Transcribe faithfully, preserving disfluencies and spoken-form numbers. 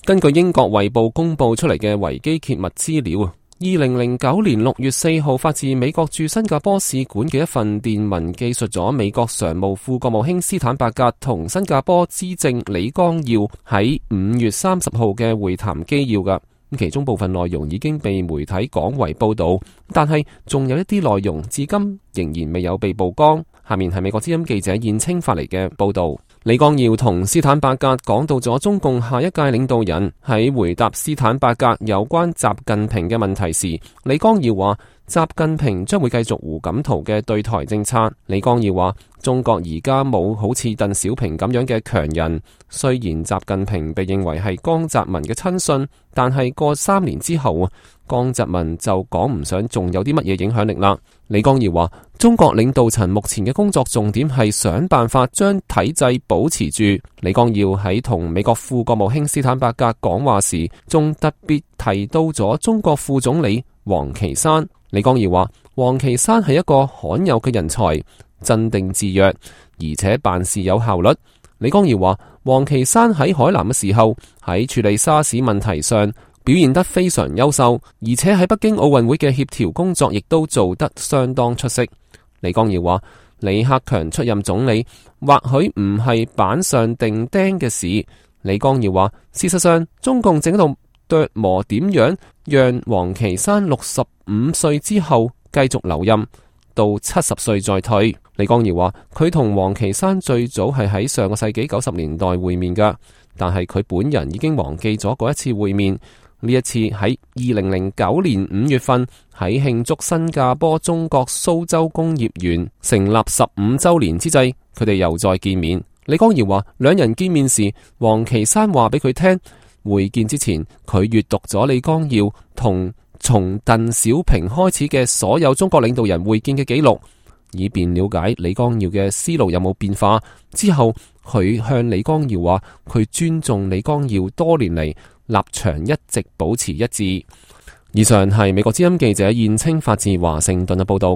根據英國衛報公布出嚟嘅維基揭密資料，二零零九年六月四號發自美國駐新加坡使館嘅一份電文，記述咗美國常務副國務卿斯坦伯格同新加坡資政李光耀喺五月三十號嘅會談紀要噶。其中部分內容已經被媒體廣為報道，但係仲有一啲內容至今仍然未有被曝光。下面係美國之音記者燕青發嚟嘅報道。李光耀同斯坦伯格講到咗中共下一屆領導人。喺回答斯坦伯格有關習近平嘅問題時，李光耀話習近平將會繼續胡錦濤嘅對台政策。李光耀話中國而家冇好似鄧小平咁樣嘅強人，雖然習近平被認為係江澤民嘅親信，但係過三年之後，江澤民就講唔上仲有啲乜嘢影響力啦。李光耀話中國領導層目前嘅工作重點係想辦法將體制保持住。李光耀喺同美國副國務卿斯坦伯格講話時，仲特別提到咗中國副總理王岐山。李光耀話王岐山係一個罕有嘅人才，鎮定自若，而且辦事有效率。李光耀話王岐山喺海南嘅時候，喺處理沙士問題上表現得非常優秀，而且喺北京奧運會嘅協調工作亦都做得相當出色。李光耀話李克強出任總理或許唔係板上釘釘嘅事。李光耀話事實上中共正喺度琢磨點樣讓王岐山六十五歲之後繼續留任到七十歲再退。李光耀話佢同王岐山最早係喺上個世紀九十年代會面噶，但係佢本人已經忘記咗嗰一次會面。呢一次喺二零零九年五月份，喺慶祝新加坡中國蘇州工業園成立十五周年之際，佢哋又再見面。李光耀話兩人見面時，王岐山話俾佢聽，會見之前佢閱讀咗李光耀同從鄧小平開始嘅所有中國領導人會見嘅記錄，以便了解李光耀嘅思路有冇變化。之後佢向李光耀話佢尊重李光耀多年嚟立場一直保持一致。以上係美國之音記者燕青發自華盛頓嘅報道。